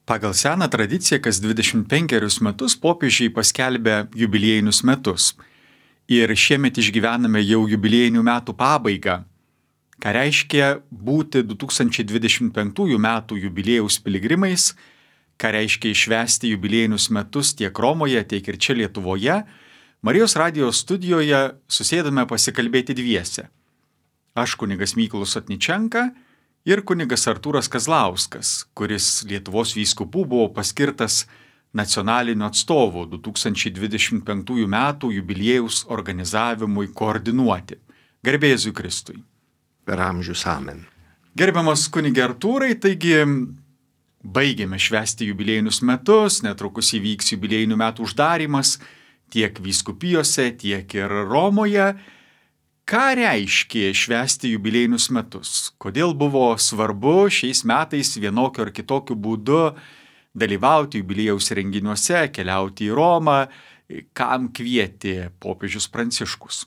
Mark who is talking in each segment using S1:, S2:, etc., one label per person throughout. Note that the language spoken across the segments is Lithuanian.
S1: Pagal seną tradiciją kas 25 metus popiežiai paskelbia jubiliejinius metus. Ir šiemet išgyvename jau jubiliejinių metų pabaigą. Ką reiškia būti 2025 metų jubiliejaus piligrimais, ką reiškia išvesti jubiliejinius metus tiek Romoje, tiek ir čia Lietuvoje, Marijos radijos studijoje susėdame pasikalbėti dviese. Aš kunigas Mykolas Sotničenka ir kunigas Artūras Kazlauskas, kuris Lietuvos vyskupų buvo paskirtas nacionaliniu atstovu 2025 metų jubiliejaus organizavimui koordinuoti. Garbė Jėzui Kristui.
S2: Per amžius amen.
S1: Gerbiamas kunige Artūrai, taigi baigėme švęsti jubiliejinius metus, netrukus įvyks jubiliejinių metų uždarymas tiek vyskupijose, tiek ir Romoje. Ką reiškia švęsti jubiliejinius metus? Kodėl buvo svarbu šiais metais vienokiu ar kitokiu būdu dalyvauti jubiliejaus renginiuose, keliauti į Romą? Kam kvietė popiežius Pranciškus?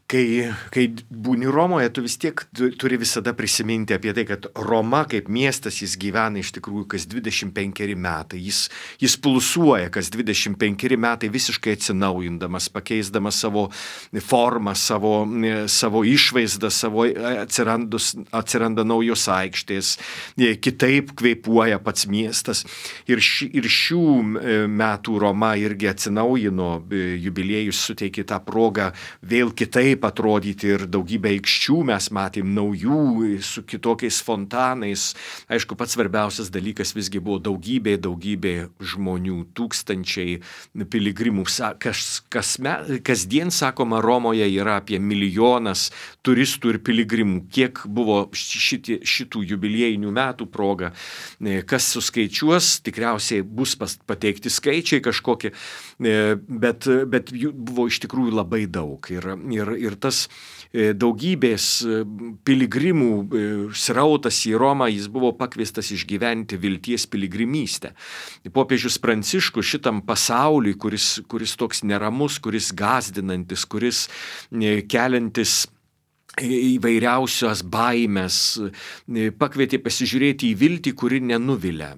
S2: Kai būni Romoje, tu vis tiek turi visada prisiminti apie tai, kad Roma kaip miestas, jis gyvena iš tikrųjų kas 25 metai. Jis pulsuoja kas 25 metai visiškai atsinaujindamas, pakeisdamas savo formą, savo išvaizdą, atsiranda naujos aikštės, kitaip kvėpuoja pats miestas. Ir šių metų Roma irgi atsinaujino, jubiliejus suteikė tą progą vėl kitaip atrodyti ir daugybę aikščių mes matėm naujų su kitokiais fontanais. Aišku, pats svarbiausias dalykas visgi buvo daugybė žmonių, tūkstančiai piligrimų. Kasdien, sakoma, Romoje yra apie 1 milijonas turistų ir piligrimų. Kiek buvo šitų jubiliejinių metų proga, kas suskaičiuos, tikriausiai bus pateikti skaičiai kažkokie, bet jų buvo iš tikrųjų labai daug. Ir tas daugybės piligrimų srautas į Romą, jis buvo pakviestas išgyventi vilties piligrimystę. Popiežius Pranciškus šitam pasauliui, kuris toks neramus, kuris gąsdinantis, kuris keliantis įvairiausios baimės, pakvietė pasižiūrėti į viltį, kuri nenuvilia,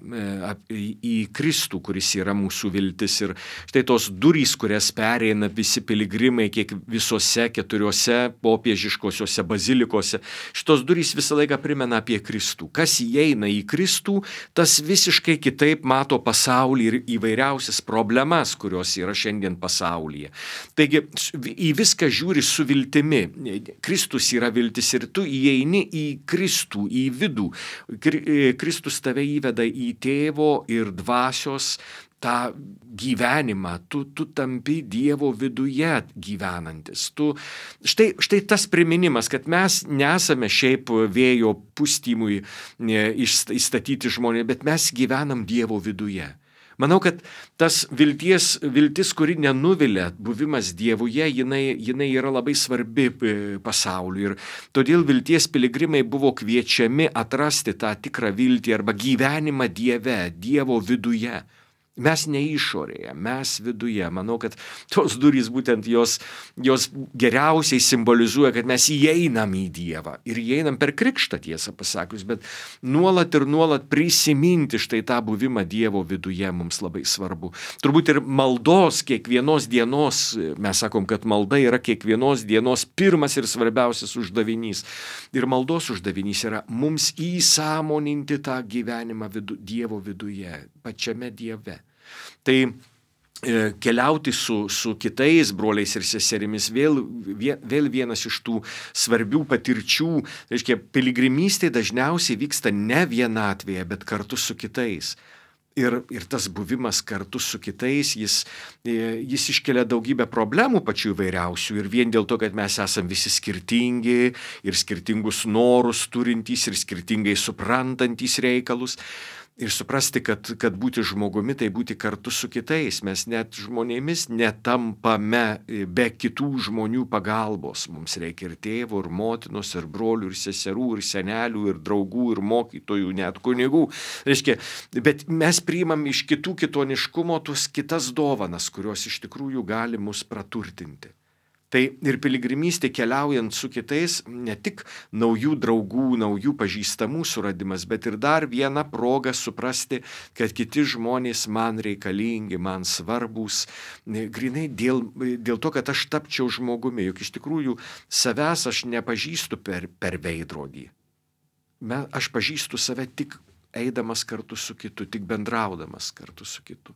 S2: į Kristų, kuris yra mūsų viltis. Ir štai tos durys, kurias pereina visi piligrimai, kiek visose 4 popiežiškosiuose bazilikose, šitos durys visą laiką primena apie Kristų. Kas įeina į Kristų, tas visiškai kitaip mato pasaulį ir įvairiausias problemas, kurios yra šiandien pasaulyje. Taigi į viską žiūri su viltimi. Kristus yra viltis ir tu įeini į Kristų, į vidų. Kristus tave įveda į tėvo ir dvasios tą gyvenimą. Tu tampi Dievo viduje gyvenantis. Štai tas priminimas, kad mes nesame šiaip vėjo pustymui įstatyti žmonės, bet mes gyvenam Dievo viduje. Manau, kad tas viltis, kuri nenuvilia, buvimas Dievuje, jinai yra labai svarbi pasauliui. Ir todėl vilties piligrimai buvo kviečiami atrasti tą tikrą viltį arba gyvenimą Dieve, Dievo viduje. Mes ne išorėje, mes viduje. Manau, kad tos durys būtent jos geriausiai simbolizuoja, kad mes įeinam į Dievą. Ir įeinam per krikštą, tiesą pasakius, bet nuolat prisiminti štai tą buvimą Dievo viduje mums labai svarbu. Turbūt ir maldos kiekvienos dienos, mes sakom, kad malda yra kiekvienos dienos pirmas ir svarbiausias uždavinys. Ir maldos uždavinys yra mums įsąmoninti tą gyvenimą Dievo viduje, pačiame Dieve. Tai keliauti su kitais broliais ir seserimis vėl vienas iš tų svarbių patirčių. Reiškia, piligrimystė dažniausiai vyksta ne vienatvėje, bet kartu su kitais. Ir tas buvimas kartu su kitais, jis iškelia daugybę problemų pačių įvairiausių. Ir vien dėl to, kad mes esam visi skirtingi ir skirtingus norus turintys ir skirtingai suprantantys reikalus. Ir suprasti, kad būti žmogumi, tai būti kartu su kitais. Mes net žmonėmis netampame be kitų žmonių pagalbos. Mums reikia ir tėvo, ir motinos, ir brolių, ir seserų, ir senelių, ir draugų, ir mokytojų, net kunigų. Reiškia, bet mes priimam iš kitų kitoniškumo tos kitas dovanas, kurios iš tikrųjų gali mus praturtinti. Tai ir piligrimystė keliaujant su kitais ne tik naujų draugų, naujų pažįstamų suradimas, bet ir dar viena proga suprasti, kad kiti žmonės man reikalingi, man svarbus, grinai dėl to, kad aš tapčiau žmogumi. Juk iš tikrųjų savęs aš nepažįstu per veidrodį. Aš pažįstu save tik eidamas kartu su kitu, tik bendraudamas kartu su kitu.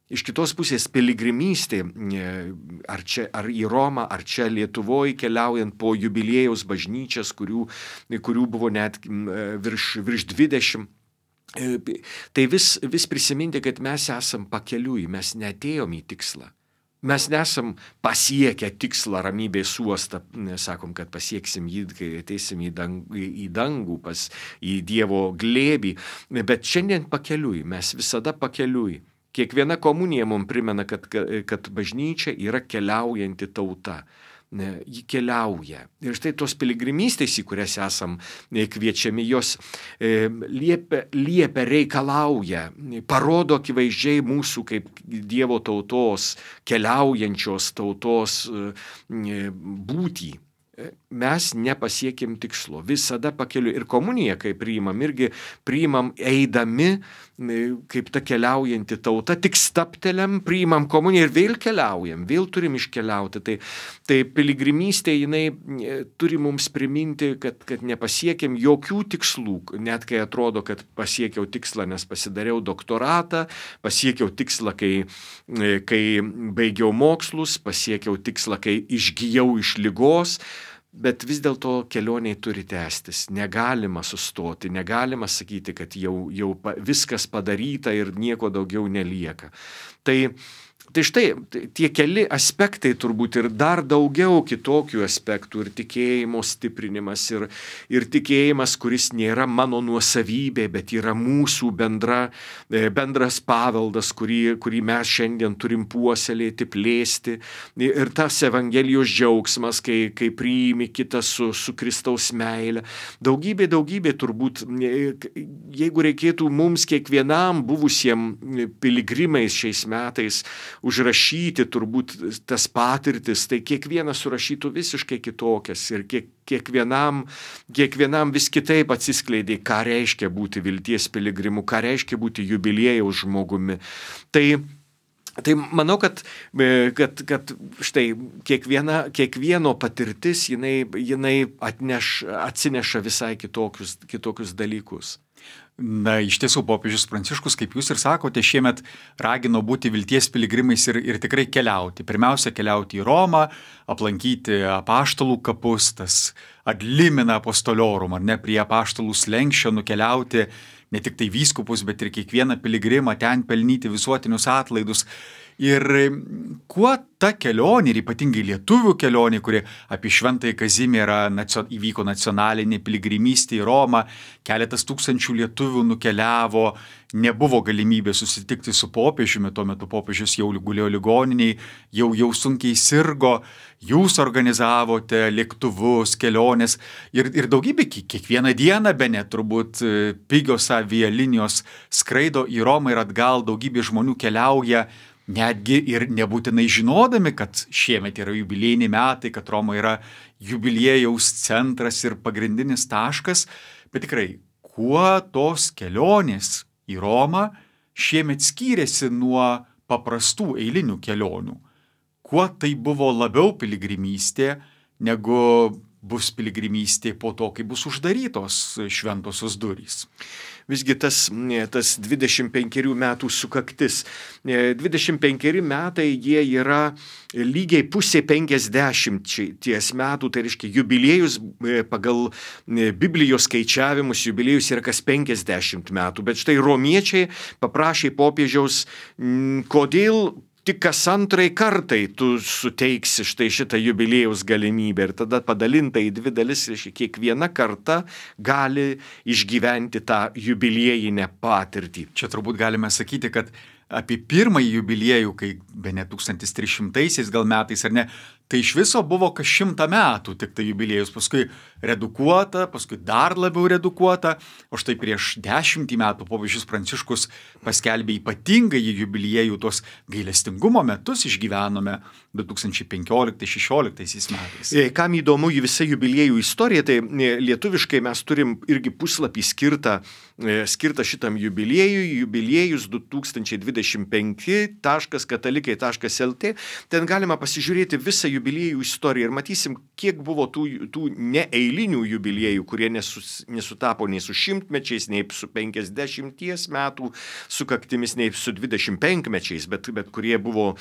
S2: Iš kitos pusės piligrimystė, ar į Romą, ar čia Lietuvoje keliaujant po jubiliejaus bažnyčias, kurių buvo net virš 20, tai vis prisiminti, kad mes esam pakeliui, mes neatėjom į tikslą. Mes nesam pasiekę tikslą ramybės uostą, sakom, kad pasieksim jį, kai ateisim į dangų, į Dievo glėbį, bet šiandien pakeliui, mes visada pakeliui. Kiekviena komunija mums primena, kad bažnyčia yra keliaujanti tauta. Ji keliauja. Ir štai tos piligrimystės, į kurias esam kviečiami, jos liepia, reikalauja, parodo akivaizdžiai mūsų kaip Dievo tautos, keliaujančios tautos būtį. Mes nepasiekėm tikslo, visada pakeliu. Ir komuniją, kai priimam, irgi priimam eidami, kaip ta keliaujanti tauta, tik stapteliam, priimam komuniją ir vėl keliaujam, vėl turim iškeliauti. Tai piligrimystė, jinai turi mums priminti, kad nepasiekėm jokių tikslų, net kai atrodo, kad pasiekiau tikslą, nes pasidariau doktoratą, pasiekiau tikslą, kai baigiau mokslus, pasiekiau tikslą, kai išgijau iš ligos. Bet vis dėlto kelioniai turi tęstis, negalima sustoti, negalima sakyti, kad jau viskas padaryta ir nieko daugiau nelieka. Tai štai tie keli aspektai turbūt ir dar daugiau kitokių aspektų, ir tikėjimo stiprinimas, ir tikėjimas, kuris nėra mano nuosavybė, bet yra mūsų bendras paveldas, kurį mes šiandien turim puoselėti, plėsti. Ir tas Evangelijos džiaugsmas, kai priimi kitą su Kristaus meile. Daugybė turbūt, jeigu reikėtų mums kiekvienam buvusiem piligrimais šiais metais užrašyti turbūt tas patirtis, tai kiekvienas surašytų visiškai kitokias ir kiekvienam vis kitaip atsiskleidė, ką reiškia būti vilties piligrimu, ką reiškia būti jubiliejaus žmogumi. Tai manau, kad štai kiekvieno patirtis jinai atsineša visai kitokius dalykus.
S1: Na, iš tiesų, popiežius Pranciškus, kaip jūs ir sakote, šiemet ragino būti vilties piligrimais ir tikrai keliauti. Pirmiausia, keliauti į Romą, aplankyti apaštalų kapus, tas ad limina apostoliorum, ar ne, prie apaštalų slenksčio nukeliauti ne tik tai vyskupus, bet ir kiekvieną piligrimą ten pelnyti visuotinius atlaidus. Ir kuo ta kelionė, ir ypatingai lietuvių kelionė, kuri apie Šventąjį Kazimierą įvyko nacionalinė piligrimystė į Romą, keletas tūkstančių lietuvių nukeliavo, nebuvo galimybė susitikti su popiežiumi, tuo metu popiežius jau gulėjo ligoniniai, jau sunkiai sirgo, jūs organizavote lėktuvus, keliones ir daugybė, kiekvieną dieną bene turbūt pigios avialinijos skraido į Romą ir atgal, daugybė žmonių keliauja, netgi ir nebūtinai žinodami, kad šiemet yra jubiliejiniai metai, kad Roma yra jubiliejaus centras ir pagrindinis taškas, bet tikrai, kuo tos kelionės į Romą šiemet skyrėsi nuo paprastų eilinių kelionių? Kuo tai buvo labiau piligrimystė, negu bus piligrimystė po to, kai bus uždarytos šventosios durys?
S2: Visgi tas 25 metų sukaktis. 25 metai jie yra lygiai pusė 50 metų, tai reiškia jubiliejus pagal Biblijos skaičiavimus, jubiliejus yra kas 50 metų. Bet štai romiečiai paprašė popiežiaus, kodėl tik kas antrai kartai tu suteiksi štai šitą jubiliejaus galimybę ir tada padalinta į dvi dalis, kiekviena karta gali išgyventi tą jubiliejinę patirtį.
S1: Čia turbūt galime sakyti, kad apie pirmąjį jubiliejų, kai bene 1300 gal metais, ar ne, tai iš viso buvo kas 100 metų tik tai jubiliejus, paskui redukuota, paskui dar labiau redukuota, o štai prieš 10 metų popiežius Pranciškus paskelbė ypatingąjį jubiliejų, tos gailestingumo metus išgyvenome 2015-16 metais.
S2: Kam įdomu į visą jubiliejų istoriją, tai lietuviškai mes turim irgi puslapį skirtą šitam jubiliejui, jubiliejus 2025.katalikai.lt. Ten galima pasižiūrėti visą jubiliejų istoriją ir matysim, kiek buvo tų neeilinių jubiliejų, kurie nesutapo nei su 100-mečiais, nei su 50 metų sukaktimis, nei su 25-mečiais, bet kurie buvo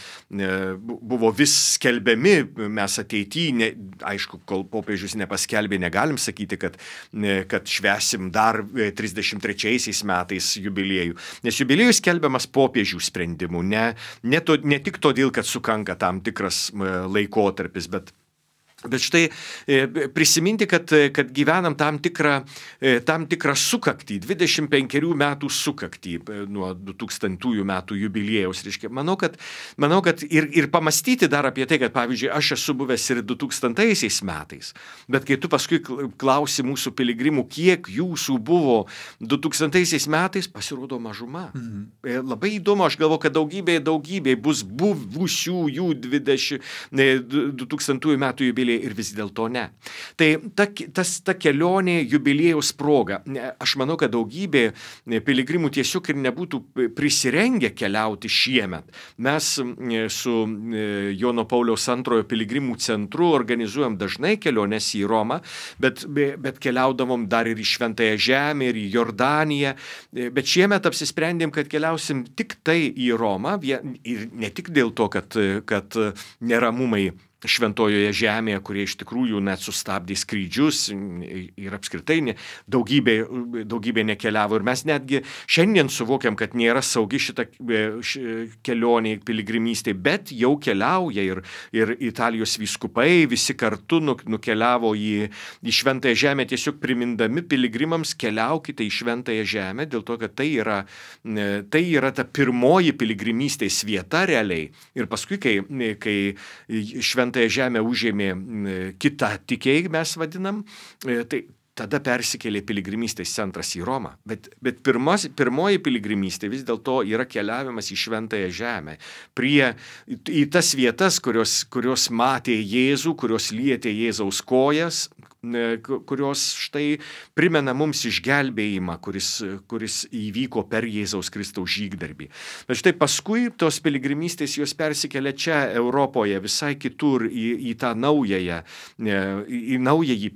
S2: vis skelbiami. Mes ateityje, aišku, kol popiežius nepaskelbė, negalim sakyti, kad švęsim dar 33 metais jubiliejų. Nes jubiliejus skelbiamas popiežių sprendimu, ne tik todėl, kad sukanka tam tikras laikotarpis, bet štai prisiminti, kad gyvenam tam tikrą sukaktį, 25 metų sukaktį nuo 2000 metų jubiliejaus. Reiškia, manau, kad ir pamastyti dar apie tai, kad pavyzdžiui, aš esu buvęs ir 2000 metais, bet kai tu paskui klausi mūsų piligrimų, kiek jūsų buvo 2000 metais, pasirodo mažuma. Labai įdomu, aš galvoju, kad daugybė bus buvusių jų 2000 metų jubiliejų. Ir vis dėlto ne. Tai ta kelionė jubiliejaus proga. Aš manau, kad daugybė piligrimų tiesiog ir nebūtų prisirengę keliauti šiemet. Mes su Jono Pauliaus II piligrimų centru organizuojam dažnai keliones į Romą, bet keliaudavom dar ir į Šventąją Žemę, ir į Jordaniją. Bet šiemet apsisprendėm, kad keliausim tik tai į Romą, ir ne tik dėl to, kad neramumai Šventojoje Žemėje, kurie iš tikrųjų net sustabdė skrydžius ir apskritai daugybė nekeliavo. Ir mes netgi šiandien suvokiam, kad nėra saugi šita kelionė piligrimystė, bet jau keliauja ir Italijos vyskupai visi kartu nukeliavo į Šventąją Žemę, tiesiog primindami piligrimams, keliaukite į Šventąją Žemę, dėl to, kad tai yra ta pirmoji piligrimystės vieta realiai. Ir paskui, kai Šventąją Žemę užėmė kitą tikėjimą, mes vadinam, tai tada persikėlė piligrimystės centras į Romą. Bet pirmoji piligrimystė vis dėlto yra keliavimas į Šventąją Žemę, į tas vietas, kurios matė Jėzų, kurios lietė Jėzaus kojas, kurios štai primena mums išgelbėjimą, kuris įvyko per Jėzaus Kristaus žygdarbį. Bet štai paskui tos piligrimystės jos persikėlė čia Europoje, visai kitur, į tą naująjį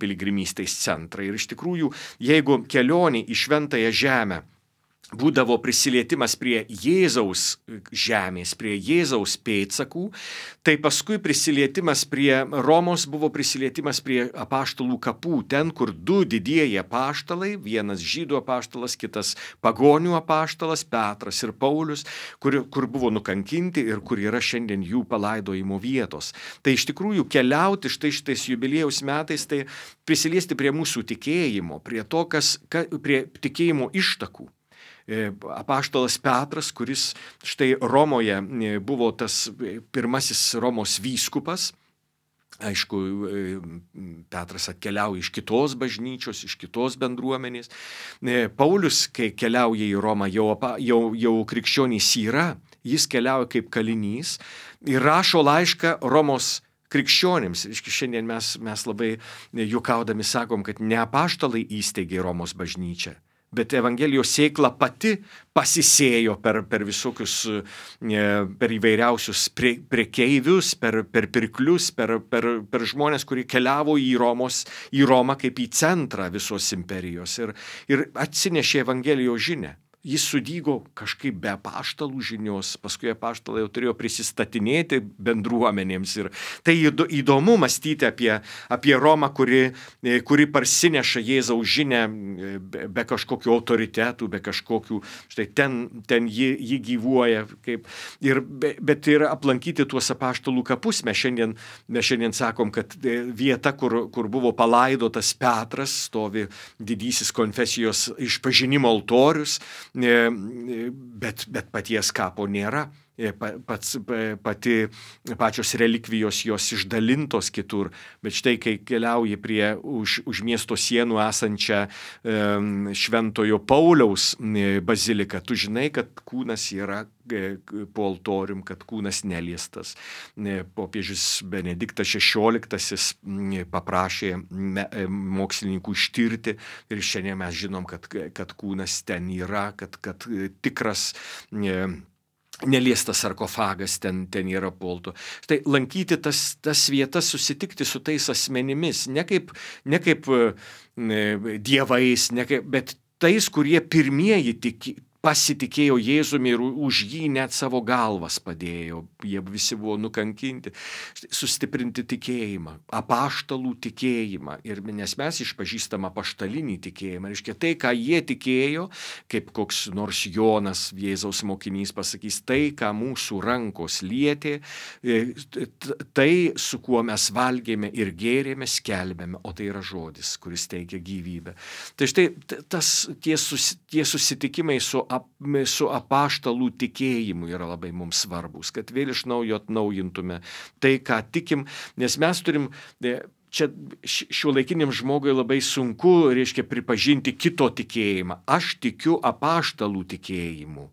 S2: piligrimystės centrą. Ir iš tikrųjų, jeigu kelionė į Šventąją Žemę būdavo prisilietimas prie Jėzaus žemės, prie Jėzaus pėdsakų, tai paskui prisilietimas prie Romos buvo prisilietimas prie apaštalų kapų, ten, kur du didieji apaštalai, vienas žydų apaštalas, kitas pagonių apaštalas, Petras ir Paulius, kur buvo nukankinti ir kur yra šiandien jų palaidojimo vietos. Tai iš tikrųjų keliauti šitais jubiliejaus metais, tai prisiliesti prie mūsų tikėjimo, prie prie tikėjimo ištakų. Apaštalas Petras, kuris štai Romoje buvo tas pirmasis Romos vyskupas. Aišku, Petras atkeliauja iš kitos bažnyčios, iš kitos bendruomenės. Paulius, kai keliauja į Romą, jau krikščionys yra, jis keliauja kaip kalinys ir rašo laišką Romos krikščionims. Šiandien mes labai juokaudami sakom, kad ne apaštalai įsteigė Romos bažnyčią, bet Evangelijos sėkla pati pasisėjo per visokius, per įvairiausius prekeivius, per pirklius, per žmonės, kurie keliavo į Romą kaip į centrą visos imperijos ir atsinešė Evangelijos žinią. Jis sudygo kažkaip be apaštalų žinios, paskui apaštalai jau turėjo prisistatinėti bendruomenėms. Ir tai įdomu mąstyti apie Romą, kuri parsineša Jėzaus žinią be kažkokių autoritetų, be kažkokių, štai ten ji gyvuoja. Bet ir aplankyti tuos apaštalų kapus. Mes šiandien sakom, kad vieta, kur buvo palaidotas Petras, stovi didysis konfesijos išpažinimo altorius. bet paties kapo nėra. Pačios relikvijos jos išdalintos kitur, bet štai kai keliauji prie už miesto sienų esančią Šventojo Pauliaus baziliką, tu žinai, kad kūnas yra po altorium, kad kūnas neliestas. Popiežius Benediktas XVI paprašė mokslininkų ištirti ir šiandien mes žinom, kad kūnas ten yra, kad tikras neliestas sarkofagas ten yra polto. Štai lankyti tas vietas, susitikti su tais asmenimis, ne kaip dievais, bet tais, kurie pirmieji pasitikėjo Jėzumi ir už jį net savo galvas padėjo. Jie visi buvo nukankinti. Sustiprinti tikėjimą, apaštalų tikėjimą. Nes mes išpažįstam apaštalinį tikėjimą. Reiškia, tai, ką jie tikėjo, kaip koks nors Jonas, Jėzaus mokinys, pasakys, tai, ką mūsų rankos lietė, tai, su kuo mes valgėme ir gėrėme, skelbėme, o tai yra žodis, kuris teikia gyvybę. Tai štai tie susitikimai su apaštalų tikėjimu yra labai mums svarbus, kad vėl iš naujo atnaujintume tai, ką tikim, nes mes turim, čia šiuolaikiniam žmogui labai sunku, reiškia, pripažinti kito tikėjimą. Aš tikiu apaštalų tikėjimu.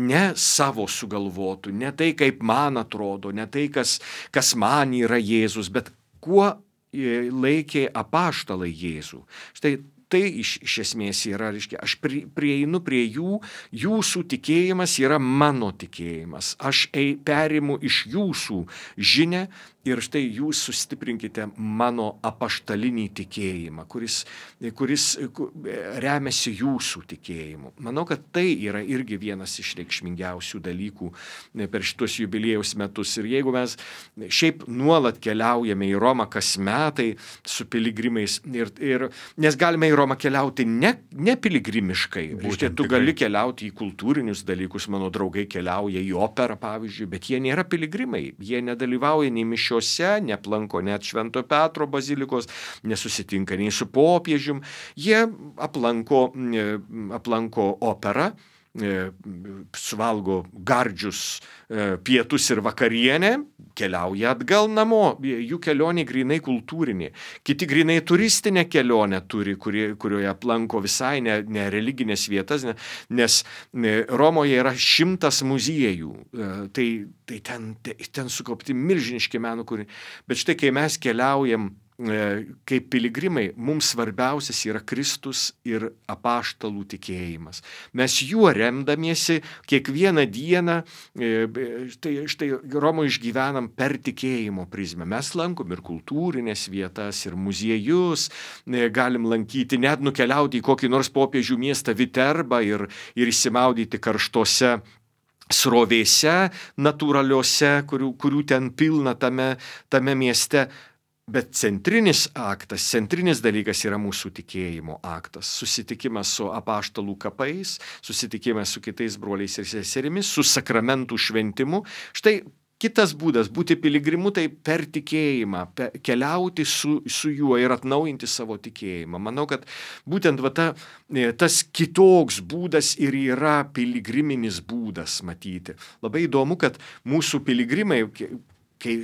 S2: Ne savo sugalvotų, ne tai, kaip man atrodo, ne tai, kas man yra Jėzus, bet kuo laikė apaštalai Jėzų. Štai tai iš esmės yra, reiškia, aš prieinu prie jūsų tikėjimas yra mano tikėjimas. Aš perimu iš jūsų žinią ir štai jūs sustiprinkite mano apaštalinį tikėjimą, kuris remiasi jūsų tikėjimu. Manau, kad tai yra irgi vienas iš reikšmingiausių dalykų per šitus jubiliejaus metus. Ir jeigu mes šiaip nuolat keliaujame į Romą kas metai su piligrimais, nes galime į Romą keliauti ne piligrimiškai. Reiškia, tu gali keliauti į kultūrinius dalykus, mano draugai keliauja į operą, pavyzdžiui, bet jie nėra piligrimai, jie nedalyvauja nei mišiose, neplanko net Švento Petro bazilikos, nesusitinka nei su popiežium, jie aplanko operą, suvalgo gardžius pietus ir vakarienę, keliauja atgal namo, jų kelionė grynai kultūrinė. Kiti grynai turistinę kelionę turi, kurioje aplanko visai ne religinės vietas, nes Romoje yra 100 muziejų, tai ten sukaupti milžiniški meno kūriniai. Bet štai, kai mes keliaujam kaip piligrimai, mums svarbiausias yra Kristus ir apaštalų tikėjimas. Mes juo remdamiesi kiekvieną dieną, štai Romoje išgyvenam per tikėjimo prizmę. Mes lankom ir kultūrinės vietas, ir muziejus, galim lankyti, net nukeliauti į kokį nors popiežių miestą Viterbą ir įsimaudyti karštose srovėse natūraliuose, kurių ten pilna tame mieste. Bet centrinis dalykas yra mūsų tikėjimo aktas. Susitikimas su apaštalų kapais, susitikimas su kitais broliais ir seserimis, su sakramentų šventimu. Štai kitas būdas būti piligrimu, tai per tikėjimą, keliauti su juo ir atnaujinti savo tikėjimą. Manau, kad būtent tas kitoks būdas ir yra piligriminis būdas matyti. Labai įdomu, kad mūsų piligrimai,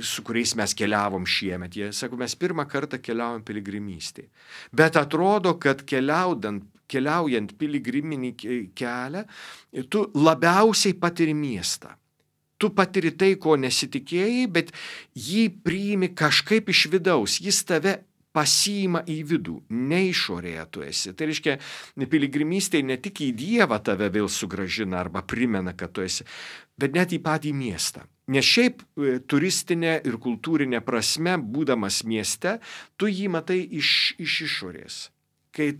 S2: su kuriais mes keliavom šiemet, jie sako, mes pirmą kartą keliaujam piligrimystėje. Bet atrodo, kad keliaujant piligriminį kelią, tu labiausiai patiri miestą. Tu patiri tai, ko nesitikėjai, bet jį priimi kažkaip iš vidaus. Jis tave pasiima į vidų, ne išorėje tu esi. Tai reiškia, piligrimystėje ne tik į Dievą tave vėl sugrąžina arba primena, kad tu esi, bet net į patį miestą. Nes šiaip turistinė ir kultūrinė prasme, būdamas mieste, tu jį matai iš išorės. Kai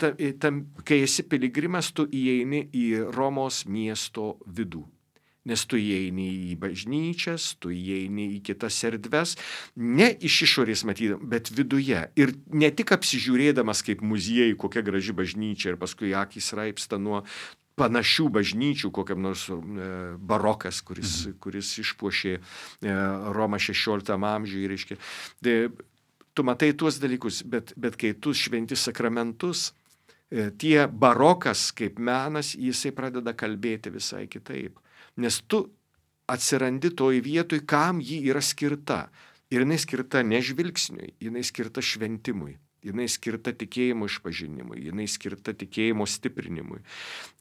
S2: esi piligrimas, tu įeini į Romos miesto vidų. Nes tu įeini į bažnyčias, tu įeini į kitas erdves, ne iš išorės matydam, bet viduje. Ir ne tik apsižiūrėdamas kaip muziejai, kokia graži bažnyčia, ir paskui akys raipsta nuo panašių bažnyčių, kokiam nors barokas, kuris išpuošė Romą 16 amžiuje, reiškia. Tu matai tuos dalykus, bet kai tu šventi sakramentus, tie barokas kaip menas, jisai pradeda kalbėti visai kitaip. Nes tu atsirandi toj vietoj, kam ji yra skirta. Ir jinai skirta ne žvilgsniui, jinai skirta šventimui, jinai skirta tikėjimo išpažinimui, jinai skirta tikėjimo stiprinimui.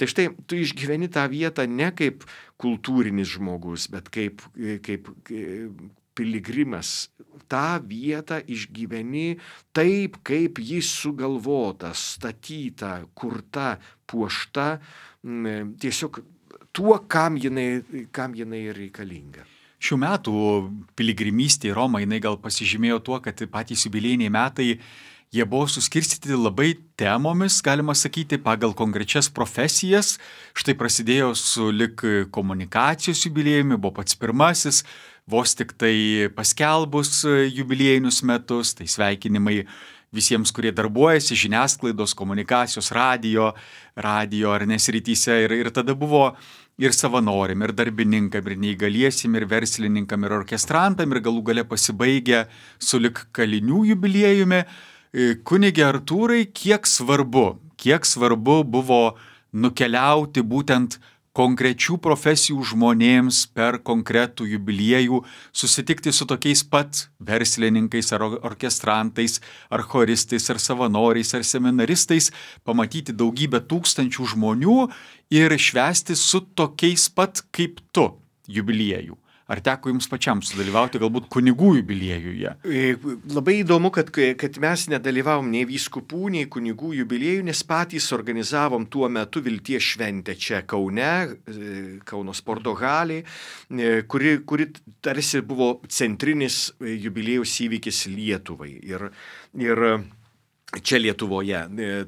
S2: Tai štai, tu išgyveni tą vietą ne kaip kultūrinis žmogus, bet kaip piligrimas. tą vietą išgyveni taip, kaip jis sugalvota, statyta, kurta, puošta, tiesiog tuo, kam jinai reikalinga.
S1: Šių metų piligrimystė į Romą, jinai gal pasižymėjo tuo, kad patys jubiliejiniai metai, jie buvo suskirstyti labai temomis, galima sakyti, pagal konkrečias profesijas. Štai prasidėjo su lik komunikacijos jubiliejumi, buvo pats pirmasis, vos tik tai paskelbus jubiliejinius metus, tai sveikinimai visiems, kurie darbuojasi žiniasklaidos, komunikacijos, radio ar nesrityse. Ir tada buvo ir savanoriam, ir darbininkam, ir neįgaliesim, ir verslininkam, ir orkestrantam, ir galų gale pasibaigė su lik kalinių jubiliejumi. Kunige Artūrai, kiek svarbu buvo nukeliauti būtent konkrečių profesijų žmonėms per konkretų jubiliejų, susitikti su tokiais pat verslininkais, ar orkestrantais, ar choristais, ar savanoriais, ar seminaristais, pamatyti daugybę tūkstančių žmonių ir švęsti su tokiais pat kaip tu jubiliejų. Ar teko jums pačiam sudalyvauti galbūt kunigų jubiliejuje?
S2: Labai įdomu, kad mes nedalyvavom nei vyskupų, nei kunigų jubiliejų, nes patys organizavom tuo metu Vilties šventę čia Kaune, Kauno sporto halėj, kuri tarsi buvo centrinis jubiliejaus įvykis Lietuvai. Ir čia Lietuvoje.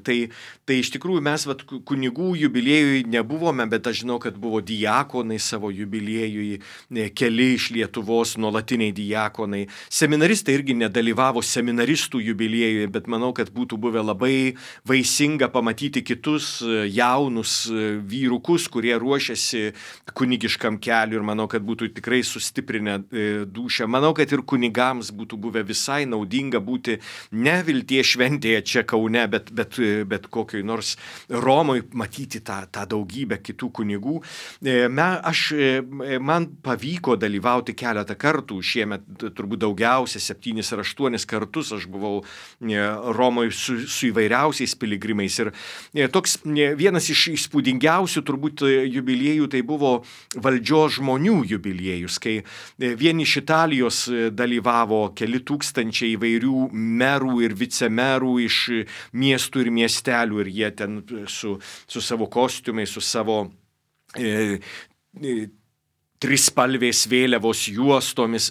S2: Tai iš tikrųjų mes kunigų jubiliejui nebuvome, bet aš žinau, kad buvo diakonai savo jubiliejui, keli iš Lietuvos nuolatiniai diakonai. Seminaristai irgi nedalyvavo seminaristų jubiliejui, bet manau, kad būtų buvę labai vaisinga pamatyti kitus jaunus vyrukus, kurie ruošiasi kunigiškam keliui, ir manau, kad būtų tikrai sustiprinę dūšią. Manau, kad ir kunigams būtų buvę visai naudinga būti ne Vilties šventėje čia Kaune, bet kokioj nors Romoj, matyti tą daugybę kitų kunigų. Man pavyko dalyvauti keletą kartų, šiemet turbūt daugiausia 7 ar 8 kartus aš buvau Romoj su įvairiausiais piligrimais. Ir toks vienas iš įspūdingiausių turbūt jubiliejų tai buvo valdžios žmonių jubiliejus, kai vien iš Italijos dalyvavo keli tūkstančiai įvairių merų ir vicemerų iš miestų ir miestelių, ir jie ten su savo kostiumais, su savo trispalvės vėliavos juostomis.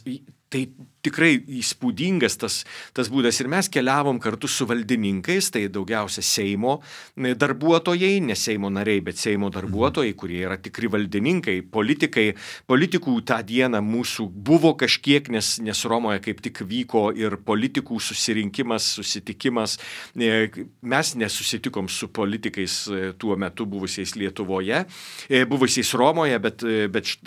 S2: Tai tikrai įspūdingas tas būdas. Ir mes keliavom kartu su valdininkais, tai daugiausia Seimo darbuotojai, ne Seimo nariai, bet Seimo darbuotojai, kurie yra tikri valdininkai, politikai. Politikų tą dieną mūsų buvo kažkiek, nes Romoje kaip tik vyko ir politikų susitikimas. Mes nesusitikom su politikais tuo metu buvusiais Lietuvoje, buvusiais Romoje, bet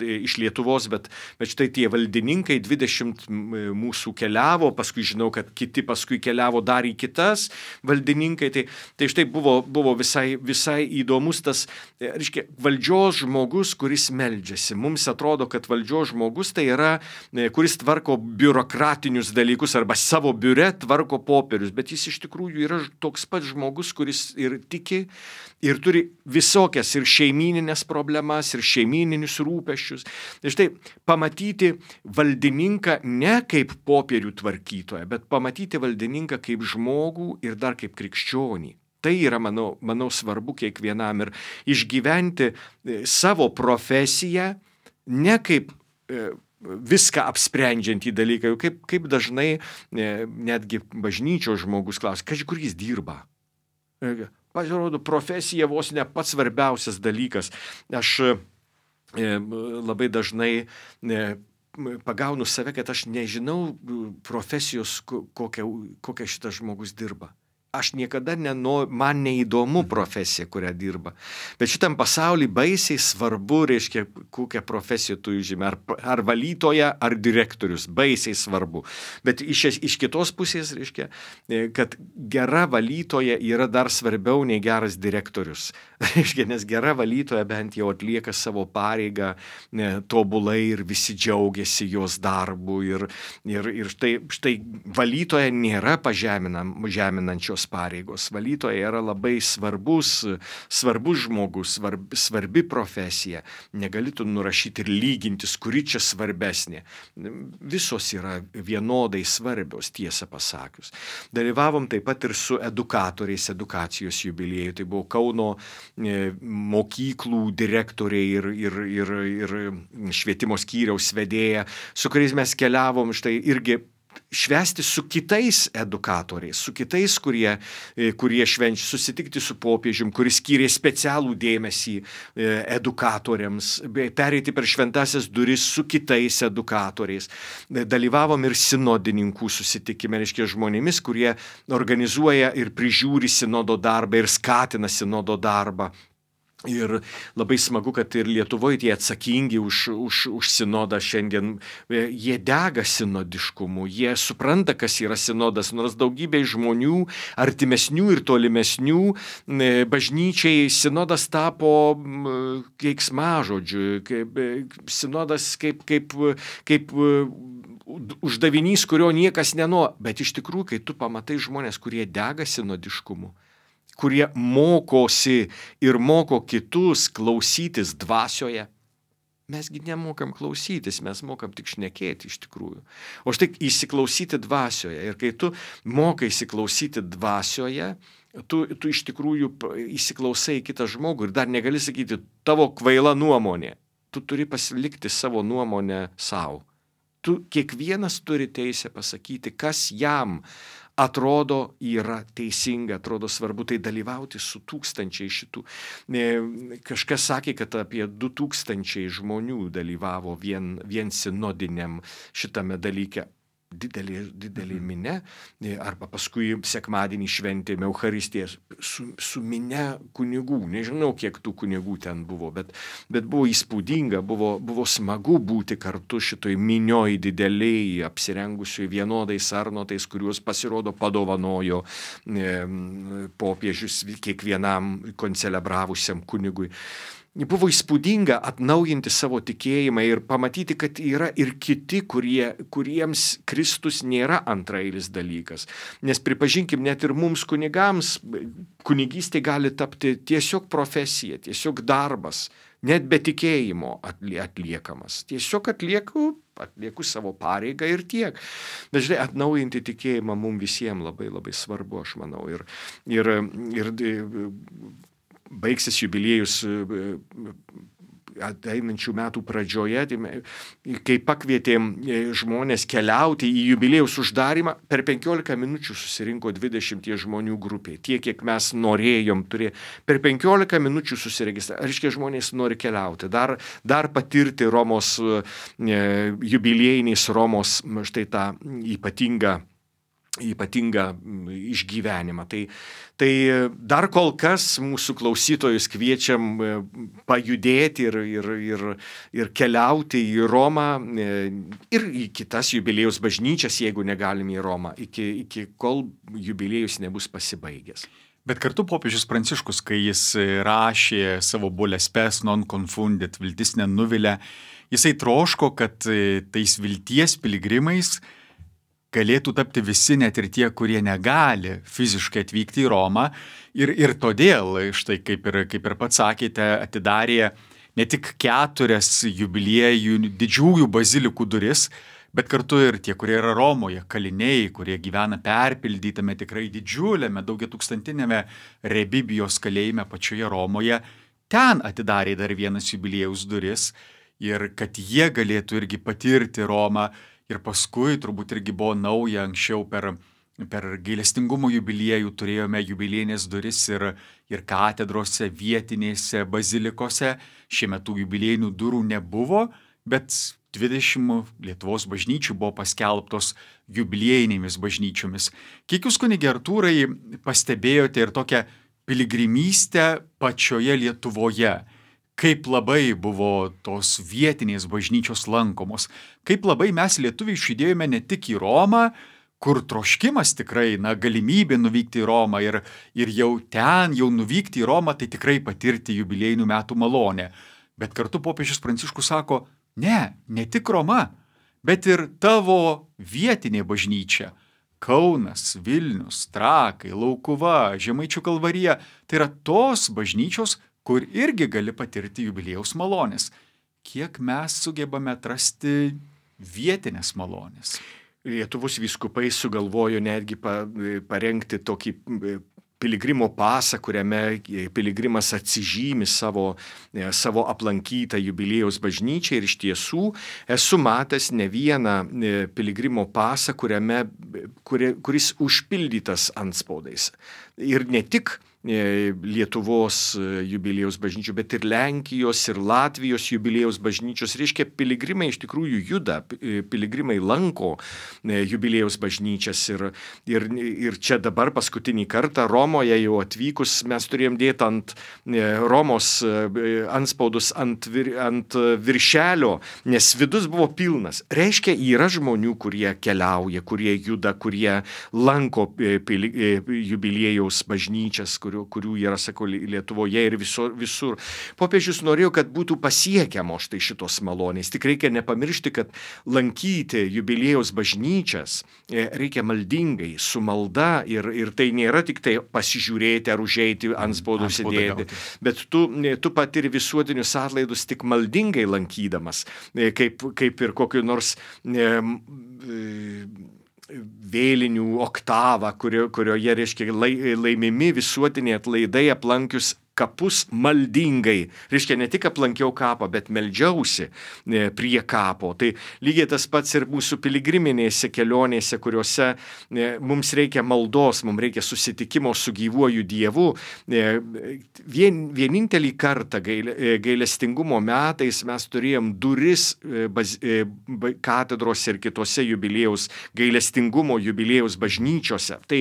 S2: iš Lietuvos, bet štai tie valdininkai 20 mūsų keliavo, paskui žinau, kad kiti paskui keliavo dar į kitas valdininkai, tai štai buvo visai įdomus tas, reiškia, valdžios žmogus, kuris meldžiasi. Mums atrodo, kad valdžios žmogus tai yra, kuris tvarko biurokratinius dalykus arba savo biure tvarko popierius, bet jis iš tikrųjų yra toks pat žmogus, kuris ir tiki, ir turi visokias ir šeimyninės problemas, ir šeimyninius rūpesčius. Tai štai pamatyti valdininką ne kaip popierių tvarkytoją, bet pamatyti valdininką kaip žmogų ir dar kaip krikščionį. Tai yra, manau, svarbu kiekvienam, ir išgyventi savo profesiją ne kaip viską apsprendžiantį dalyką, kaip dažnai netgi bažnyčios žmogus klausia, kur jis dirba. Pasirodo, profesija vos ne pats svarbiausias dalykas. Aš labai dažnai pagaunu save, kad aš nežinau profesijos, kokią šitas žmogus dirba. aš niekada man neįdomu profesija, kurią dirba. Bet šitam pasauliu baisiai svarbu, reiškia, kokią profesiją tu žymi, ar valytoja, ar direktorius, baisiai svarbu. Bet iš kitos pusės, reiškia, kad gera valytoja yra dar svarbiau nei geras direktorius. Reiškia, nes gera valytoja bent jau atlieka savo pareigą tobulai ir visi džiaugiasi jos darbu. Ir štai valytoja nėra žeminančios pareigos. Valytoja yra labai svarbus žmogus, svarbi profesija. Negali tu nurašyti ir lygintis, kuri čia svarbesnė. Visos yra vienodai svarbios, tiesą pasakius. Dalyvavom taip pat ir su edukatoriais edukacijos jubiliejų. Tai buvo Kauno mokyklų direktoriai ir švietimo skyriaus vedėja, su kuriais mes keliavom štai irgi švęsti su kitais edukatoriais, su kitais, kurie švenčia, susitikti su popiežium, kuris skyrė specialų dėmesį edukatoriams, pereiti per šventasias duris su kitais edukatoriais. Dalyvavom ir sinodininkų susitikime, reiškia žmonėmis, kurie organizuoja ir prižiūri sinodo darbą ir skatina sinodo darbą. Ir labai smagu, kad ir Lietuvoje tie atsakingi už sinodą šiandien, jie dega sinodiškumu, jie supranta, kas yra sinodas, nors daugybė žmonių, artimesnių ir tolimesnių, bažnyčiai sinodas tapo keiksmažodžiu, sinodas kaip uždavinys, kurio niekas nenori. Bet iš tikrųjų, kai tu pamatai žmonės, kurie dega sinodiškumu, kurie mokosi ir moko kitus klausytis dvasioje. Mesgi nemokam klausytis, mes mokam tik šnekėti iš tikrųjų. O štai įsiklausyti dvasioje. Ir kai tu mokai įsiklausyti dvasioje, tu iš tikrųjų įsiklausai kitą žmogų ir dar negali sakyti tavo kvaila nuomonė. Tu turi pasilikti savo nuomonę savo. Kiekvienas turi teisę pasakyti, kas jam atrodo yra teisinga, atrodo svarbu, tai dalyvauti su tūkstančiai šitų. Kažkas sakė, kad apie 2000 žmonių dalyvavo vien sinodiniam šitame dalyke. Didelė minė, arba paskui sekmadienį šventėme Eucharistiją su minė kunigų. Nežinau, kiek tų kunigų ten buvo, bet buvo įspūdinga, buvo smagu būti kartu šitoj minioj dideliai, apsirengusioj vienodais sarnotais, kuriuos pasirodo padovanojo popiežius kiekvienam koncelebravusiam kunigui. Buvo įspūdinga atnaujinti savo tikėjimą ir pamatyti, kad yra ir kiti, kuriems Kristus nėra antrailis dalykas. Nes pripažinkim, net ir mums kunigams, kunigystė gali tapti tiesiog profesija, tiesiog darbas, net be tikėjimo atliekamas. Tiesiog atlieku savo pareigą ir tiek. Bet žinai, atnaujinti tikėjimą mums visiems labai labai svarbu, aš manau. Ir baigsis jubiliejus ateinančių metų pradžioje, kai pakvietėm žmonės keliauti į jubiliejaus uždarimą, per 15 minučių susirinko 20 žmonių grupė. Tiek, kiek mes norėjom turėti. Per 15 minučių susiregistravo. Reiškia, žmonės nori keliauti, dar patirti Romos, jubiliejiniais Romos, štai tą ypatingą išgyvenimą. Tai dar kol kas mūsų klausytojus kviečiam pajudėti ir keliauti į Romą ir į kitas jubiliejaus bažnyčias, jeigu negalim į Romą, iki kol jubiliejus nebus pasibaigęs.
S1: Bet kartu popiežius Pranciškus, kai jis rašė savo Bules Spes non confundit, viltis nenuvilia, jisai troško, kad tais vilties piligrimais galėtų tapti visi, net ir tie, kurie negali fiziškai atvykti į Romą. Ir todėl, štai kaip ir pats sakėte, atidarė ne tik 4 jubiliejų didžiųjų bazilikų duris, bet kartu ir tie, kurie yra Romoje, kaliniai, kurie gyvena perpildytame tikrai didžiuliame, daugiatūkstantinėme Rebibijos kalėjime pačioje Romoje, ten atidarė dar vienas jubiliejaus duris ir kad jie galėtų irgi patirti Romą. Ir paskui turbūt irgi buvo nauja, anksčiau per gailestingumo jubiliejų turėjome jubiliejinės duris ir katedrose, vietinėse bazilikose. Šiemet tų jubiliejinių durų nebuvo, bet 20 Lietuvos bažnyčių buvo paskelbtos jubiliejinėmis bažnyčiomis. Kiek jūs, kunige Artūrai, pastebėjote ir tokią piligrimystę pačioje Lietuvoje? Kaip labai buvo tos vietinės bažnyčios lankomos? Kaip labai mes lietuviai išjudėjome ne tik į Romą, kur troškimas tikrai, galimybė nuvykti į Romą ir jau nuvykti į Romą, tai tikrai patirti jubiliejinių metų malonę. Bet kartu popiežius Pranciškus sako, ne tik Roma, bet ir tavo vietinė bažnyčia. Kaunas, Vilnius, Trakai, Laukuva, Žemaičių Kalvarija – tai yra tos bažnyčios, kur irgi gali patirti jubiliejaus malonės. Kiek mes sugebame atrasti vietinės malonės?
S2: Lietuvos vyskupai sugalvojo netgi parengti tokį piligrimo pasą, kuriame piligrimas atsižymi savo aplankytą jubiliejaus bažnyčią ir iš tiesų esu matęs ne vieną piligrimo pasą, kuris užpildytas antspaudais. Ir ne tik Lietuvos jubiliejaus bažnyčių, bet ir Lenkijos ir Latvijos jubiliejaus bažnyčios. Reiškia, piligrimai iš tikrųjų juda, piligrimai lanko jubiliejaus bažnyčias ir čia dabar paskutinį kartą Romoje jau atvykus mes turėjom dėti ant Romos antspaudus ant viršelio, nes vidus buvo pilnas. Reiškia, yra žmonių, kurie keliauja, kurie juda, kurie lanko jubiliejaus bažnyčias, kurių yra, sakau, Lietuvoje ir visur. Popiežius norėjo, kad būtų pasiekiamos štai šitos malonės. Tik reikia nepamiršti, kad lankyti jubiliejaus bažnyčias reikia maldingai, su malda ir tai nėra tik tai pasižiūrėti ar užeiti antspaudų sėdėti, bet tu patiri visuotinius atlaidus tik maldingai lankydamas, kaip ir kokiu nors vėlinių oktavą, kurioje, reiškia, laimimi visuotiniai atlaidai aplankius kapus maldingai. Reiškia, ne tik aplankiau kapą, bet meldžiausi prie kapo. Tai lygiai tas pats ir mūsų piligriminėse kelionėse, kuriuose mums reikia maldos, mums reikia susitikimo su gyvuoju Dievu. Vienintelį kartą gailestingumo metais mes turėjom duris katedros ir kitose gailestingumo jubiliejaus bažnyčiose. Tai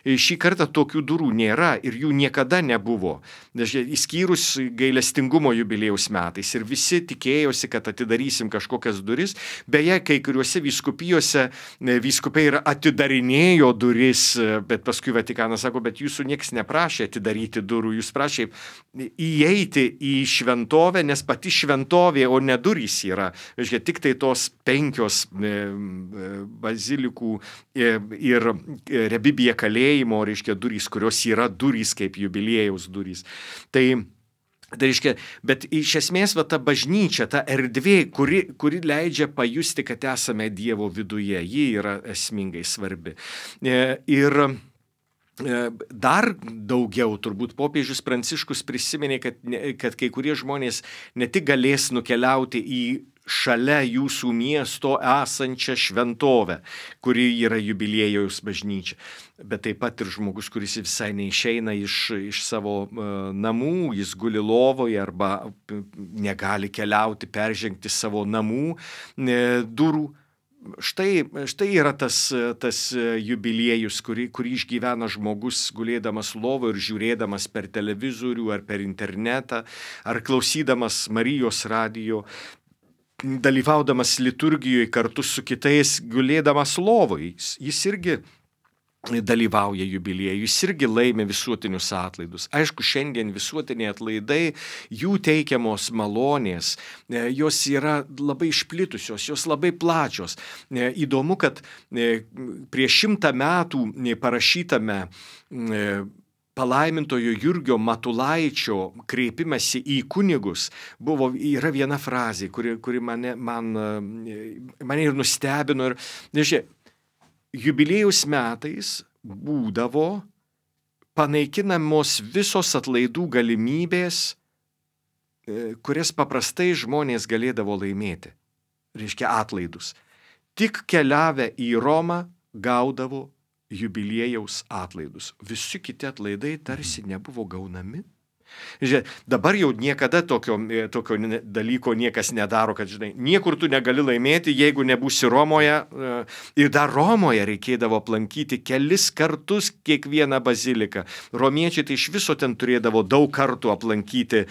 S2: šį kartą tokių durų nėra ir jų niekada nebuvo. Įskyrus gailestingumo jubiliejaus metais ir visi tikėjosi, kad atidarysim kažkokias duris. Beje, kai kuriuose vyskupijose vyskupai ir atidarinėjo duris, bet paskui Vatikanas sako, bet jūsų niekas neprašė atidaryti durų, jūs prašė įeiti į šventovę, nes pati šventovė, o ne durys yra. Reiškia, tik tai tos 5 bazilikų ir rebibija kalėjimo, reiškia, durys, kurios yra durys kaip jubiliejaus durys. Tai reiškia, bet iš esmės ta bažnyčia, ta erdvė, kuri leidžia pajusti, kad esame Dievo viduje, ji yra esmingai svarbi. Ir dar daugiau turbūt popiežius Pranciškus prisiminė, kad kai kurie žmonės ne tik galės nukeliauti į šalia jūsų miesto esančią šventovę, kuri yra jubiliejaus bažnyčia, bet taip pat ir žmogus, kuris visai neišeina iš savo namų, jis guli lovoje arba negali keliauti, peržengti savo namų durų. Štai yra tas jubiliejus, kurį išgyvena žmogus gulėdamas lovo ir žiūrėdamas per televizorių ar per internetą, ar klausydamas Marijos radijo, dalyvaudamas liturgijoje kartu su kitais, gulėdamas lovoje. Jis irgi dalyvauja jubiliejui, jis irgi laimė visuotinius atlaidus. Aišku, šiandien visuotiniai atlaidai, jų teikiamos malonės, jos yra labai išplitusios, jos labai plačios. Įdomu, kad prieš 100 metų parašytame palaimintojo Jurgio Matulaičio kreipimąsi į kunigus yra viena frazė, kuri mane ir nustebino. Ir, jubiliejaus metais būdavo panaikinamos visos atlaidų galimybės, kurias paprastai žmonės galėdavo laimėti. Reiškia, atlaidus. Tik keliavę į Romą gaudavo jubiliejaus atlaidus. Visi kiti atlaidai tarsi nebuvo gaunami. Žiūrėk, dabar jau niekada tokio dalyko niekas nedaro, kad, žinai, niekur tu negali laimėti, jeigu nebūsi Romoje. Ir dar Romoje reikėdavo aplankyti kelis kartus kiekvieną baziliką. Romiečiai tai iš viso ten turėdavo daug kartų aplankyti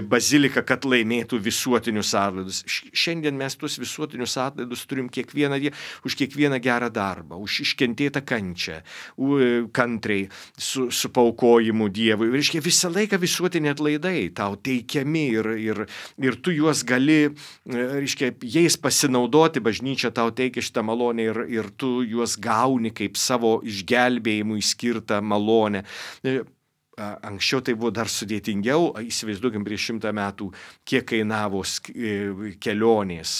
S2: baziliką, kad laimėtų visuotinius atlaidus. Šiandien mes tuos visuotinius atlaidus turim kiekvieną dieną, už kiekvieną gerą darbą, už iškentėtą kančią, kantriai, su paukojimu Dievui. Reiškia, visą laiką visuotiniai atlaidai tau teikiami ir tu juos gali, reiškia, jais pasinaudoti, bažnyčia tau teikia šitą malonę ir tu juos gauni kaip savo išgelbėjimui skirtą malonę. Anksčiau tai buvo dar sudėtingiau, įsivaizduokim prieš 100 metų, kiek kainavo kelionės.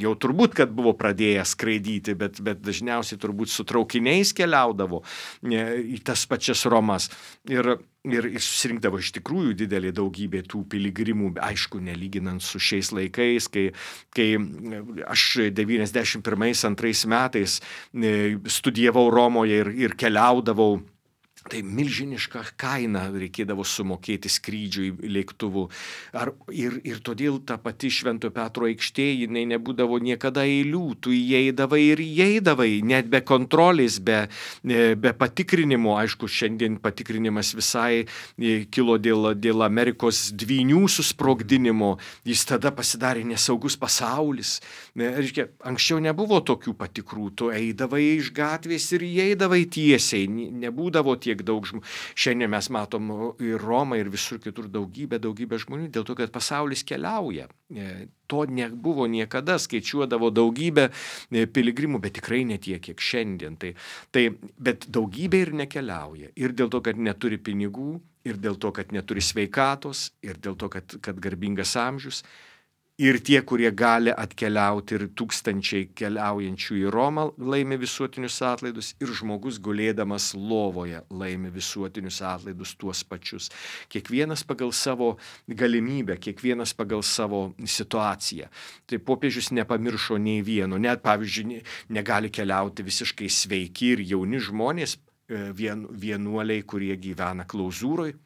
S2: Jau turbūt, kad buvo pradėję skraidyti, bet dažniausiai turbūt su traukiniais keliaudavo į tas pačias Romas. Ir susirinkdavo iš tikrųjų didelė daugybė tų piligrimų, aišku, nelyginant su šiais laikais, kai aš 91-2 metais studijavau Romoje ir keliaudavau. Tai milžinišką kainą reikėdavo sumokėti skrydžiui lėktuvu. Ir todėl ta pati Švento Petro aikštė, jinai nebūdavo niekada eilių. Tu įeidavai, net be kontrolės, be patikrinimo. Aišku, šiandien patikrinimas visai kilo dėl Amerikos dvynių susprogdinimo. Jis tada pasidarė nesaugus pasaulis. Reiškia, anksčiau nebuvo tokių patikrų. Tu eidavai iš gatvės ir įeidavai tiesiai. Nebūdavo tiek daug žmonių. Šiandien mes matom ir Romą, ir visur kitur daugybę žmonių, dėl to, kad pasaulis keliauja. To nebuvo niekada, skaičiuodavo daugybę piligrimų, bet tikrai ne tiek, kiek šiandien. Bet daugybė ir nekeliauja. Ir dėl to, kad neturi pinigų, ir dėl to, kad neturi sveikatos, ir dėl to, kad garbingas amžius. Ir tie, kurie gali atkeliauti, ir tūkstančiai keliaujančių į Romą laimi visuotinius atlaidus, ir žmogus gulėdamas lovoje laimi visuotinius atlaidus tuos pačius. Kiekvienas pagal savo galimybę, kiekvienas pagal savo situaciją. Tai popiežius nepamiršo nei vieno. Net, pavyzdžiui, negali keliauti visiškai sveiki ir jauni žmonės, vienuoliai, kurie gyvena klauzūroj.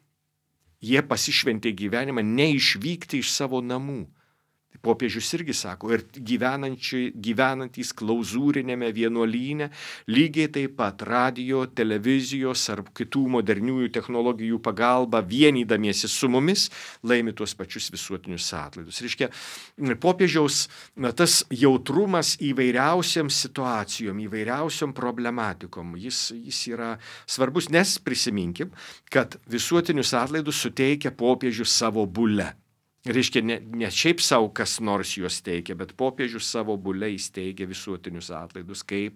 S2: Jie pasišventė gyvenimą neišvykti iš savo namų. Popiežius irgi sako, ir gyvenantys klauzūrinėme vienuolyne, lygiai taip pat radijo, televizijos ar kitų moderniųjų technologijų pagalba, vienydamiesi su mumis, laimi tuos pačius visuotinius atlaidus. Reiškia, popiežiaus tas jautrumas įvairiausiam situacijom, įvairiausiam problematikom, jis yra svarbus, nes prisiminkim, kad visuotinius atlaidus suteikia popiežius savo bule. Reiškia, ne šiaip savo kas nors juos teikia, bet popiežius savo bule įsteigia visuotinius atlaidus, kaip,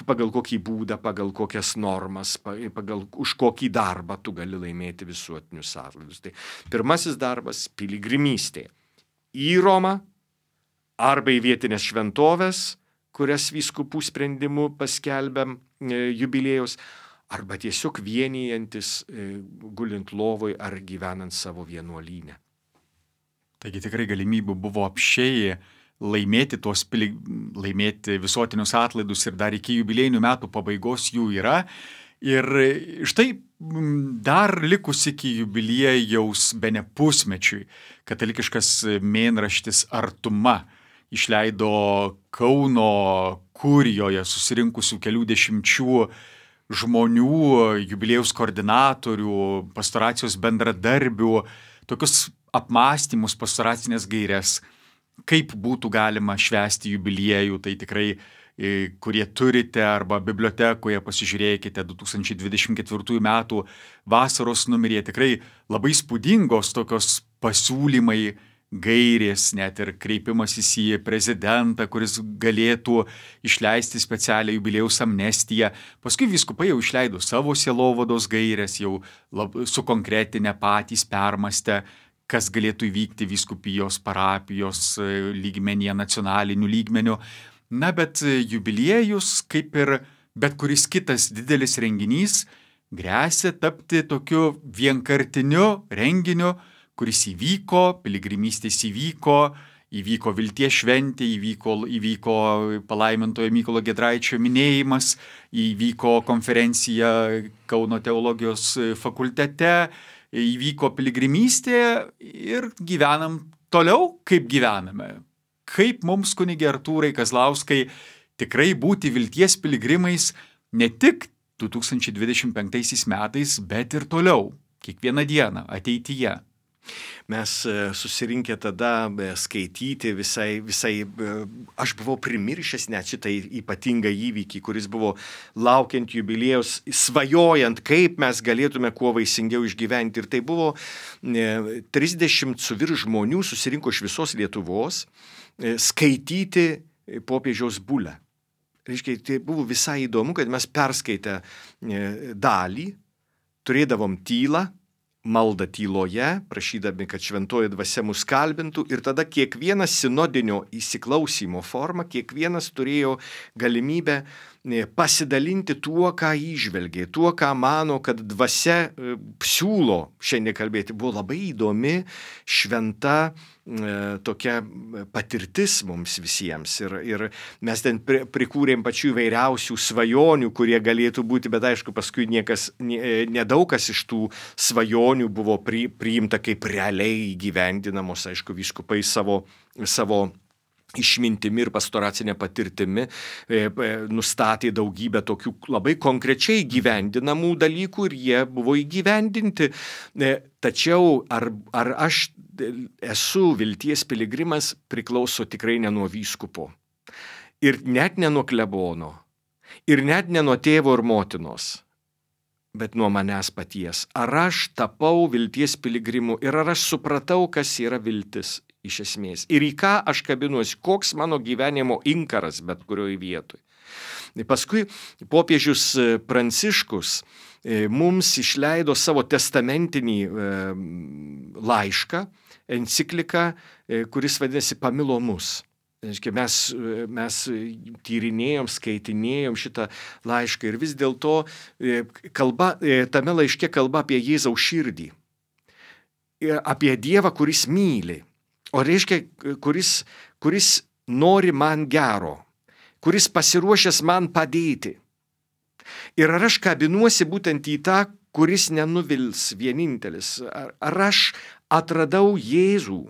S2: pagal kokį būdą, pagal kokias normas, už kokį darbą tu gali laimėti visuotinius atlaidus. Tai pirmasis darbas – piligrimystė. Į Romą arba į vietinės šventovės, kurias vyskupų sprendimu paskelbiam jubiliejus, arba tiesiog vienijantis gulint lovoj ar gyvenant savo vienuolyne.
S1: Taigi tikrai galimybių buvo apsčiai laimėti visuotinius atlaidus ir dar iki jubiliejinių metų pabaigos jų yra. Ir štai dar likus iki jubiliejaus bene pusmečiui katalikiškas mėnraštis Artuma išleido Kauno kurijoje susirinkusių kelių dešimčių žmonių, jubiliejaus koordinatorių, pastoracijos bendradarbių, tokius apmąstymus, pastoracinės gaires, kaip būtų galima švęsti jubiliejų. Tai tikrai, kurie turite arba bibliotekoje, pasižiūrėkite 2024 metų vasaros numeryje, tikrai labai spūdingos tokios pasiūlymai, gairės, net ir kreipimasis į prezidentą, kuris galėtų išleisti specialią jubiliejaus amnestiją. Paskui vyskupai jau išleido savo sielovados gairės, jau sukonkretinę patys permastę, kas galėtų įvykti vyskupijos, parapijos lygmenyje, nacionaliniu lygmeniu. Na, bet jubiliejus, kaip ir bet kuris kitas didelis renginys, gresia tapti tokiu vienkartiniu renginiu, kuris įvyko, piligrimystės įvyko vilties šventė, įvyko palaimintojo Mykolo Giedraičio minėjimas, įvyko konferencija Kauno teologijos fakultete, įvyko piligrimystė ir gyvenam toliau, kaip gyvename. Kaip mums, kunige Artūrai Kazlauskai, tikrai būti vilties piligrimais ne tik 2025 metais, bet ir toliau, kiekvieną dieną, ateityje.
S2: Mes susirinkę tada skaityti visai, aš buvau primiršęs net šitą ypatingą įvykį, kuris buvo laukiant jubiliejaus, svajojant, kaip mes galėtume kuo vaisingiau išgyventi. Ir tai buvo 30 su virš žmonių susirinko iš visos Lietuvos skaityti popiežiaus bulę. Reiškia, tai buvo visai įdomu, kad mes perskaitę dalį, turėdavom tylą, maldą tyloje, prašydami, kad šventoji dvasia mus kalbintų, ir tada kiekvienas sinodinio įsiklausymo forma, kiekvienas turėjo galimybę pasidalinti tuo, ką įžvelgė, tuo, ką mano, kad dvasia siūlo šiandien kalbėti. Buvo labai įdomi, šventa tokia patirtis mums visiems. Ir mes ten prikūrėm pačių įvairiausių svajonių, kurie galėtų būti, bet aišku, paskui nedaug kas iš tų svajonių buvo priimta kaip realiai įgyvendinamos, aišku, vyskupai savo išmintimi ir pastoracinė patirtimi nustatė daugybę tokių labai konkrečiai gyvendinamų dalykų ir jie buvo įgyvendinti. Tačiau ar aš esu vilties piligrimas priklauso tikrai ne nuo vyskupo ir net ne nuo klebono ir net ne nuo tėvo ir motinos, bet nuo manęs paties. Ar aš tapau vilties piligrimu ir ar aš supratau, kas yra viltis iš esmės ir į ką aš kabinuosi, koks mano gyvenimo inkaras bet kurioje vietoje. Paskui popiežius Pranciškus mums išleido savo testamentinį laišką, encikliką, kuris vadinasi Pamilo mus. Mes tyrinėjom, skaitinėjom šitą laišką ir vis dėlto tame laiške kalba apie Jėzaus širdį, apie Dievą, kuris myli. O reiškia, kuris nori man gero, kuris pasiruošęs man padėti. Ir ar aš kabinuosi būtent į tą, kuris nenuvils vienintelis? Ar aš atradau Jėzų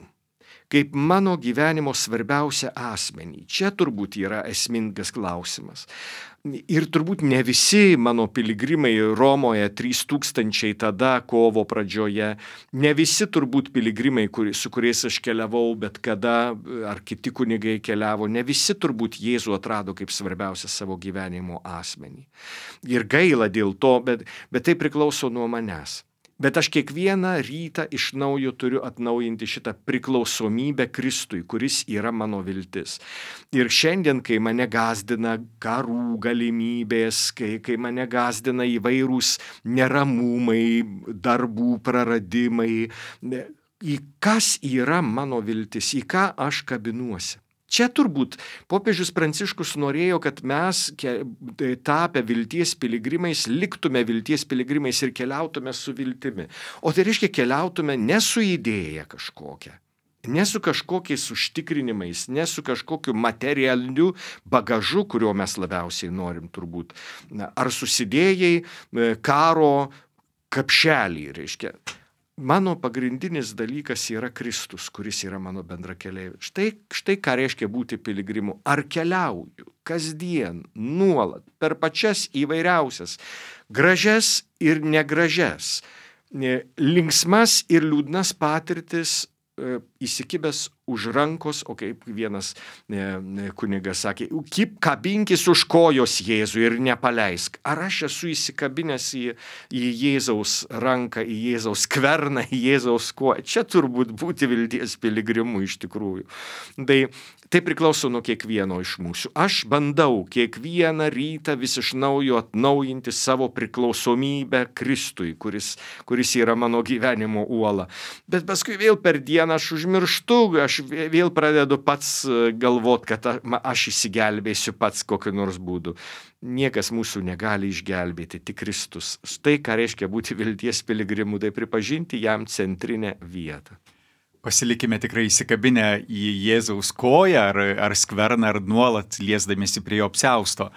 S2: kaip mano gyvenimo svarbiausią asmenį? Čia turbūt yra esmingas klausimas. Ir turbūt ne visi mano piligrimai Romoje 3000 tada kovo pradžioje, ne visi turbūt piligrimai, su kuriais aš keliavau, bet kada, ar kiti kunigai keliavo, ne visi turbūt Jėzų atrado kaip svarbiausią savo gyvenimo asmenį. Ir gaila dėl to, bet tai priklauso nuo manęs. Bet aš kiekvieną rytą iš naujo turiu atnaujinti šitą priklausomybę Kristui, kuris yra mano viltis. Ir šiandien, kai mane gąsdina karų galimybės, kai mane gąsdina įvairūs neramumai, darbų praradimai, į kas yra mano viltis, į ką aš kabinuosi. Čia turbūt popiežius Pranciškus norėjo, kad mes tapę vilties piligrimais, liktume vilties piligrimais ir keliautume su viltimi. O tai reiškia, keliautume ne su idėja kažkokia, ne su kažkokiais užtikrinimais, ne su kažkokiu materialiu bagažu, kurio mes labiausiai norim turbūt. Ar susidėjai karo kapšelį, reiškia. Mano pagrindinis dalykas yra Kristus, kuris yra mano bendrakeleivis. Štai ką reiškia būti piligrimu. Ar keliauju kasdien, nuolat, per pačias įvairiausias, gražias ir negražias, linksmas ir liūdnas patirtis, įsikibęs už rankos, o kaip vienas kunigas sakė, kabinkis už kojos Jėzų ir nepaleisk. Ar aš esu įsikabinęs į Jėzaus ranką, į Jėzaus skverną, į Jėzaus koją? Čia turbūt būti vilties piligrimu iš tikrųjų. Tai priklauso nuo kiekvieno iš mūsų. Aš bandau kiekvieną rytą vis iš naujo atnaujinti savo priklausomybę Kristui, kuris yra mano gyvenimo uola. Bet paskui vėl per dieną aš užmirštu, aš vėl pradedu pats galvot, kad aš išsigelbėsiu pats kokiu nors būdu. Niekas mūsų negali išgelbėti, tik Kristus. Štai ką reiškia būti vilties piligrimu, tai pripažinti jam centrinę vietą.
S1: Pasilikime tikrai įsikabinę į Jėzaus koją ar skverną, ar nuolat liesdamiesi prie jo apsiausto.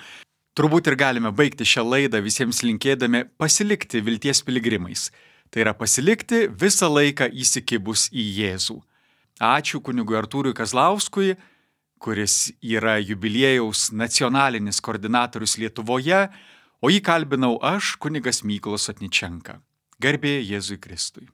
S1: Turbūt ir galime baigti šią laidą visiems linkėdami pasilikti vilties piligrimais. Tai yra pasilikti visą laiką įsikibus į Jėzų. Ačiū kunigui Artūrui Kazlauskui, kuris yra jubiliejaus nacionalinis koordinatorius Lietuvoje, o jį kalbinau aš, kunigas Mykolas Sotničenka. Garbė Jėzui Kristui.